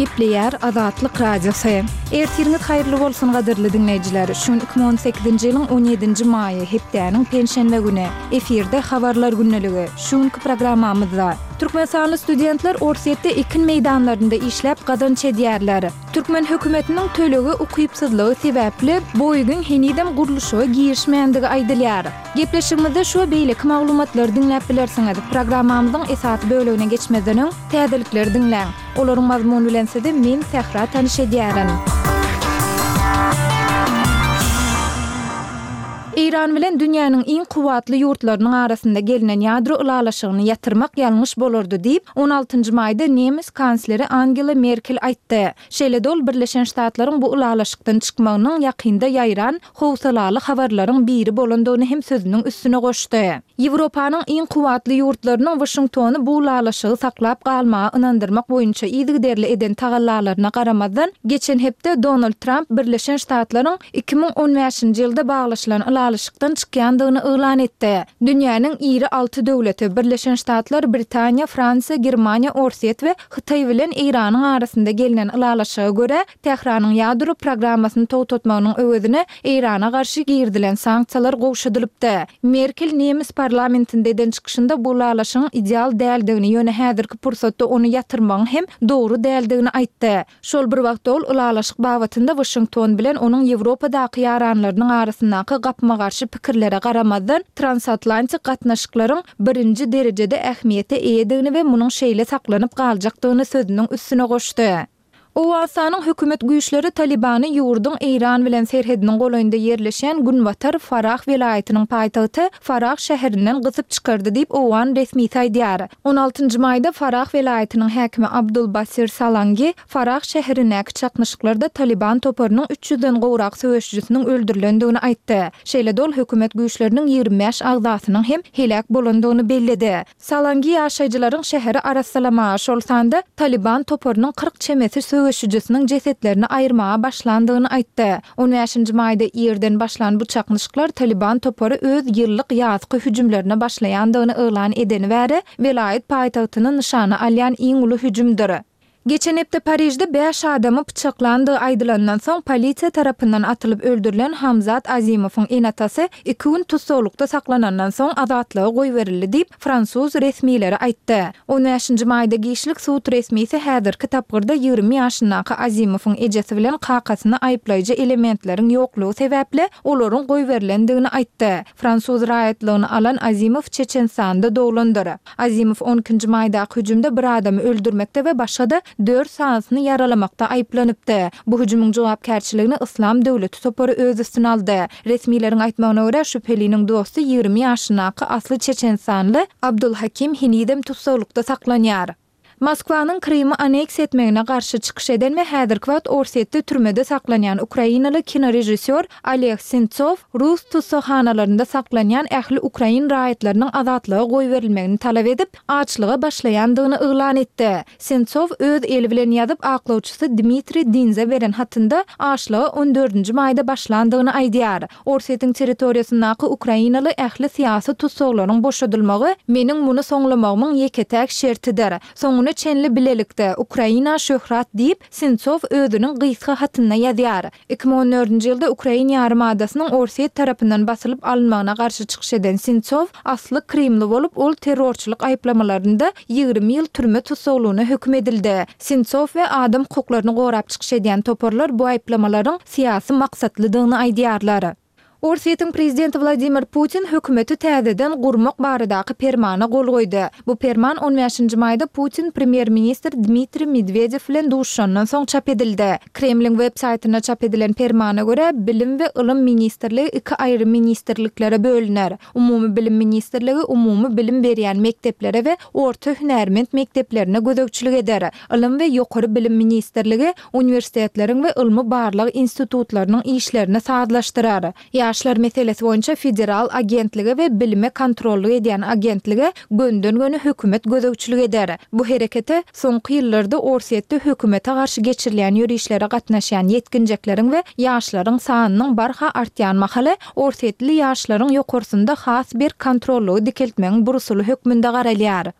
Gepleýär Azatlyk Radiosy. Ertiriňiz haýyrly bolsun gadyrly diňleýjiler! Şu gün 2018-nji ýylyň on ýedinji maýy, hepdäniň penşenbe güni. Efirde Habarlar gündeligi. Şu günki programmamyzda. Türkmenistanly studentler Orsýetde ekin meýdanlarynda işläp gazanç edýärler. Türkmen hökümetiniň tölege ukypsyzlygy sebäpli Boeing-iň henizem gurluşyga girişmändigi aýdylýar. Gepleşigimizde şu we beýleki maglumatlary diňläp bilersiňiz. Programmamyzyň esasy bölegine geçmezden öň, täzelikleri diňläň. Olaryň mazmuny bilen sizi men, Sähra tanyş edýärin. Eýran bilen dünýäniň iň kuwwatly ýurtlarynyň arasynda gelnen ýadro ylalaşygyny ýatyrmak ýalňyş bolardy diýip, on altynjy maýda nemes kansleri Angela Merkel aýtdy. Şeýle-de ol Birleşen Ştatlaryň bu ylalaşykdan çykmagynyň ýakynda ýaýran howsalaly habarlaryň biri bolandygyny hem sözüniň üstüne goşdy. Ýewropanyň iň kuwwatly ýurtlarynyň Waşingtony bu ylalaşygy saklap galmaga ynandyrmak boýunça yzygiderli eden tagallalaryna garamazdan, geçen hepde Donald Tramp Birleşen Ştatlaryň 2015-nji ýylda baglaşylan ylalaşykdan çykýandygyny yglan etdi. Dünýäniň iri alty döwleti, Birleşen Ştatlar, Britaniýa, Fransiýa, Germaniýa, Orsýet we Hytaý bilen Eýranyň arasynda gelnen ylalaşyga görä, Tähranyň ýadro programmasyny togtatmagynyň öwezine Eýrana garşy girizilen sanksiýalar gowşadylypdy. Merkel nemes parlamentinde eden çykyşynda bu ylalaşygyň ideal däldigini, ýöne häzirki pursatda ony ýatyrmagyň hem dogry däldigini aýtdy. Şol bir wagtda ol ylalaşyk babatynda Waşington bilen onuň Ýewropadaky ýaranlarynyň arasyndaky gapma-garşy pikirlere garamazdan, transatlantik gatnaşyklaryň birinji derejede ähmiýete eýedigini we munuň şeýle saklanyp galjakdygyny sözüniň üstüne goşdy. Owganystanyň hökümet güýçleri Talybany ýurduň Eýran bilen serhediniň golaýynda ýerleşýän günbatar Farah welaýatynyň paýtagty Farah şäherinden gysyp çykardy diýip, owgan resmisi aýdýar. On altynjy maýda Farah welaýatynyň häkimi Abdul Basir Salangi Farah şäherindäki çaknyşyklarda Talyban toparynyň üç ýüzden gowrak söweşijisiniň öldürilendigini aýtdy. Şeýle-de ol hökümet güýçleriniň 25 agzasynyň hem heläk bolandygyny belledi. Salangi ýaşaýjylaryň şäheri arassalamaga, şol sanda Talyban toparynyň 40 çemesi söweşijisiniň jesetlerini aýyrmaga başlandygyny aýtdy. On bäşinji maýda irden başlan bu çaknyşyklar Talyban topary öz ýyllyk ýazky hüjümlerine başlaýandygyny yglan edeni bäri welaýat paýtagtyny nyşana alýan iň uly hüjümdir. Geçen hepde Parižde bäş adamy pyçaklandygy aýdylandan soň polisiýa tarapyndan atylyp öldürilen Hamzat Azimowyň ene-atasy iki gün tussaglykda saklanandan soň azatlyga goýberildi diýip, fransuz resmileri aýtdy. On bäşinji maýda giçlik sud resmisi häzirki tapgyrda 20 ýaşyndaky Azimowyň ejesi bilen kakasyny aýyplaýjy elementleriň ýoklugy sebäpli olaryň goýberilendigini aýtdy. Fransuz raýatlygyny alan Azimow Çeçenistanda doglandyr. Azimow on ikinji maýdaky hüjümde bir adamy öldürmekde we başga-da dört sanysyny ýaralamakda aýyplanypdy. Bu hüjümiň jogapkärçiligini Yslam döwleti topary öz üstüne aldy. Resmileriň aýtmagyna görä, şübheliniň dosty 20 ýaşyndaky asly çeçenistanly Abdulhakim henizem tussaglykda saklanýar. Moskwanyň Krymy anneksiýa etmegine garşy çykyş eden we häzirki wagt Orsýetde türmede saklanýan ukrainaly kinorežissýor Oleg Sentsow rus tussaghanalarynda saklanýan ähli ukrain raýatlarynyň azatlyga goýberilmegini talap edip, açlyga başlaýandygyny yglan etdi. Sentsow öz eli bilen ýazyp, aklawçysy Dmitriý Dinze beren hatynda açlyga on dördünji maýda başlandygyny aýdýar. Orsýetiň territoriýasyndaky ukrainaly ähli syýasy tussaglaryň boşadylmagy meniň muny soňlamagymyň ýeke-täk şertidir. Soňuna çenli bilelikde, Ukraina şöhrat diýip, Sentsow özüniň gysga hatynda ýazýar. 2014-nji ýylda Ukrain ýarymadasynyň Orsýet tarapyndan basylyp alynmagyna garşy çykyş eden Sentsow asly krymly bolup, ol terrorçylyk aýyplamalarynda 20 ýyl türme tussaglygyna höküm edildi. Sentsow we adam hukuklaryny gorap çykyş edýän toparlar bu aýyplamalaryň syýasy maksatlydygyny aýdýarlar. Orsýetiň prezidenti Wladimir Putin hökümeti täzeden gurmak baradaky permana gol goýdy. Bu perman on bäşinji maýda Putin premýer-ministr Dmitriý Medwedew bilen duşuşandan soň çap edildi. Kremliň web saýtynda çap edilen permana görä, Bilim we ylym ministrligi iki aýry ministrliklere bölüner. Umumy bilim ministrligi umumy bilim berýän mekdeplere we orta hünärment mekdeplerine gözegçilik eder. Ylym we ýokary bilim ministrligi uniwersitetleriň we ylmy-barlag institutlarynyň işlerini sazlaşdyrar. Ýaşlar meselesi boýunça federal agentlige we bilime kontrollyk edýän agentlige gönden-göni hökümet gözegçilik eder. Bu herekete soňky ýyllarda Orsýetde hökümete garşy geçirilýän ýörişlere gatnaşýan ýetginjekleriň we ýaşlaryň sanynyň barha artýan mahaly orsýetli ýaşlaryň ýokarsynda has berk kontrollygy dikeltmegiň bir usuly hökmünde garalýar.